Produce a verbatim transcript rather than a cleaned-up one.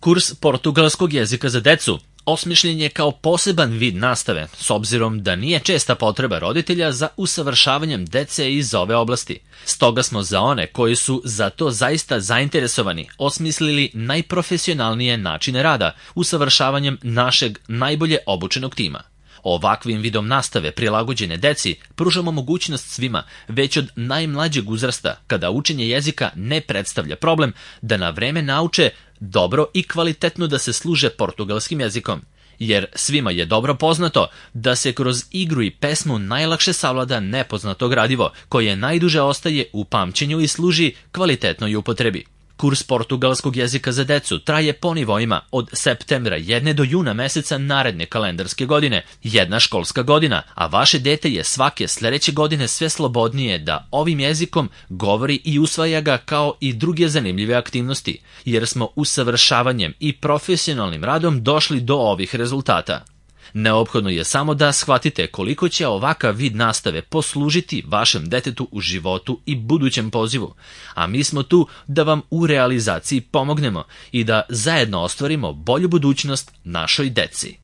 Kurs portugalskog jezika za decu osmišljen je kao poseban vid nastave, s obzirom da nije česta potreba roditelja za usavršavanjem dece iz ove oblasti. Stoga smo za one koji su za to zaista zainteresovani osmislili najprofesionalnije načine rada, usavršavanjem našeg najbolje obučenog tima. Ovakvim vidom nastave prilagođene deci pružamo mogućnost svima, već od najmlađeg uzrasta, kada učenje jezika ne predstavlja problem, da na vreme nauče dobro i kvalitetno da se služe portugalskim jezikom. Jer svima je dobro poznato da se kroz igru i pesmu najlakše savlada nepoznato gradivo, koje najduže ostaje u pamćenju i služi kvalitetnoj upotrebi. Kurs portugalskog jezika za decu traje po nivoima od septembra jedne do juna meseca naredne kalendarske godine, jedna školska godina, a vaše dete je svake sledeće godine sve slobodnije da ovim jezikom govori i usvaja ga kao i druge zanimljive aktivnosti, jer smo usavršavanjem i profesionalnim radom došli do ovih rezultata. Neophodno je samo da shvatite koliko će ovakav vid nastave poslužiti vašem detetu u životu i budućem pozivu, a mi smo tu da vam u realizaciji pomognemo i da zajedno ostvarimo bolju budućnost našoj deci.